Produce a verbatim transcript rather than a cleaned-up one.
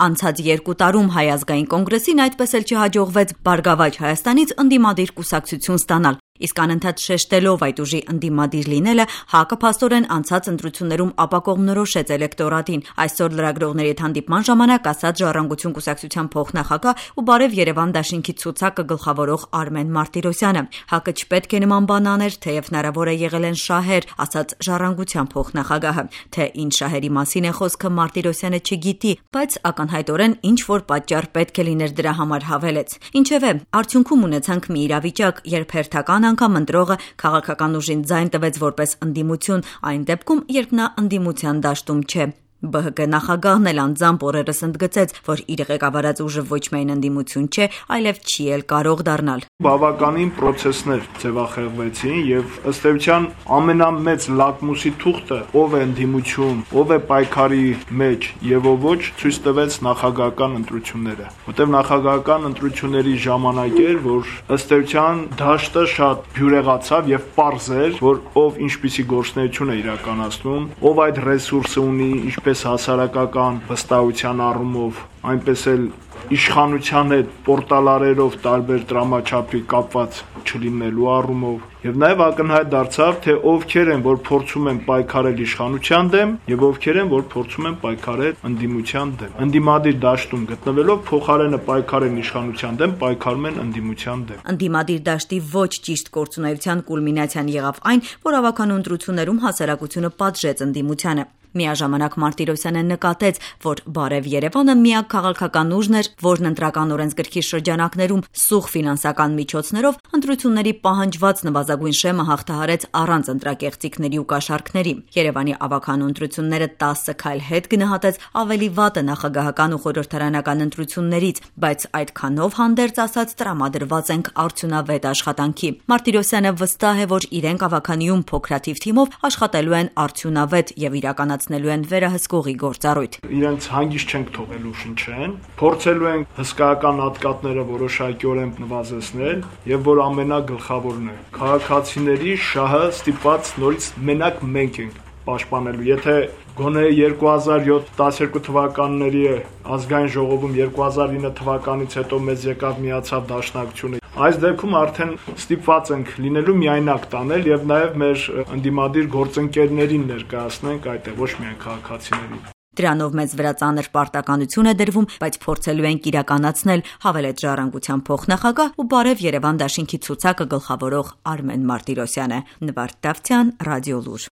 Անցած երկու տարում Հայ ազգային կոնգրեսին այդպես էլ չհաջողվեց Բարգավաճ Հայաստանից ընդդիմադիր կուսակցություն ստանալ, իսկ անընդհատ շեշտելով այդ ուժի ընդդիմադիր լինելը, ՀԱԿ-ը փաստորեն անցած ընտրություններում ապակողմնորոշեց էլեկտորատին։ Այսօր լրագրողների հետ հանդիպման ժամանակ ասաց Ժառանգություն կուսակցության փոխնախագահ ու Բարև Երևան դաշինքի ցուցակը գլխավորող Արմեն Մարտիրոսյանը։ ՀԱԿ-ը չպետք է նման բան աներ, թեև հնարավոր է եղել են շահեր, ասաց Ժառանգության փոխնախագահը։ Թե ինչ շահերի մասին է խոսքը, Մարտիրոսյանը չգիտի, բայց ակնհայտորեն ինչ որ պատճառ պետք է լիներ դրա համար հավելեց։ Ինչևէ, արդյունքում ունեցանք մի իրավիճակ, երբ հերթական անգամ ընտրողը քաղաքական ուժին ձայն տվեց որպես ընդդիմություն, այն դեպքում, երբ նա ընդդիմության դաշտում չէ։ ԲՀԿ նախագահն էլ անձամբ օրերս ընդգծեց, որ իր ղեկավարած ուժը ոչ միայն ընդդիմություն չէ, այլև չի էլ կարող դառնալ։ Բավականին պրոցեսներ ձևախեղվեցին եւ ըստ էության ամենամեծ լակմուսի թուղթը ով է ընդդիմություն, ով է պայքարի մեջ եւ ով ոչ, ցույց տվեց նախագահական ընտրությունները, որտեղ նախագահական ընտրությունների ժամանակ էր, որ ըստ էության դաշտը շատ բյուրեղացավ եւ պարզ էր, որ ով ինչպիսի գործունեություն է իրականացնում, ով այդ ռեսուրսը ունի, ինչպես հասարակական վստահության առումով, այնպես էլ իշխանության հետ պորտալարերով տարբեր դրամաչափի կապված չլինելու առումով եւ նաեւ ակնհայտ դարձավ, թե ովքեր են, որ փորձում են պայքարել իշխանության դեմ եւ ովքեր են, որ փորձում են պայքարել ընդդիմության դեմ։ Ընդդիմադիր դաշտում գտնվելով փոխարենը պայքարեն իշխանության դեմ, պայքարում են ընդդիմության դեմ։ Ընդդիմադիր դաշտի ոչ ճիշտ գործունեության կուլմինացիան եղավ այն, որ ավականու ընտրություններում հասարակությունը պատժեց ընդդիմությանը։ Միաժամանակ Մարտիրոսյանը նկատեց, որ Բարև Երևանը միակ քաղաքական ուժն էր, որն ընտրական օրենսգրքի շրջանակներում սուղ ֆինանսական միջոցներով ընտրությունների պահանջված նվազագույն շեմը հաղթահարեց առանց ընտրակեղծիքների ու կաշառքների։ Երևանի ավականու ընտրությունները տասը քայլ հետ գնահատեց ավելի վատը նախագահական ու խորհրդարանական ընտրություններից, բայց այդքանով հանդերձ ասած տրամադրված ենք արդյունավետ աշխատանքի։ Մարտիրոսյանը վստահ է, որ իրենք ավականիում փոքրաթիվ թիմով աշխատելու են արդյունավետ եւ իրականացնելու են վերահսկողի գործառույթ։ Իրենց հանգիստ չենք թողելու շնչեն, փորձելու ենք հսկայական հատկատները որոշակիորեն նվազեցնել եւ որ ամենագլխավորն է, քաղաքացիների շահը ստիպված նորից մենակ մենք ենք պաշտպանելու։ Եթե գոնե երկու հազար յոթ տասներկու թվականների ազգային ժողովում երկու հազար ինը թվականից հետո մեզ եկավ միացավ դաշնակցությունը, այս դեպքում արդեն ստիպված ենք լինելու միայնակ տանել եւ նաեւ մեր ընդդիմադիր գործընկերներին ներկայացնենք այդտեղ, ոչ միայն քաղաքացիներին։ Դրանով մեզ վրա ծանր պարտականություն է դրվում, բայց փորձելու ենք իրականացնել, հավելեց Ժառանգության փոխնախագահ ու Բարև Երևան դաշինքի ցուցակը գլխավորող Արմեն Մարտիրոսյանը։ Նվարդ Դավթյան, Ռադիոլուր։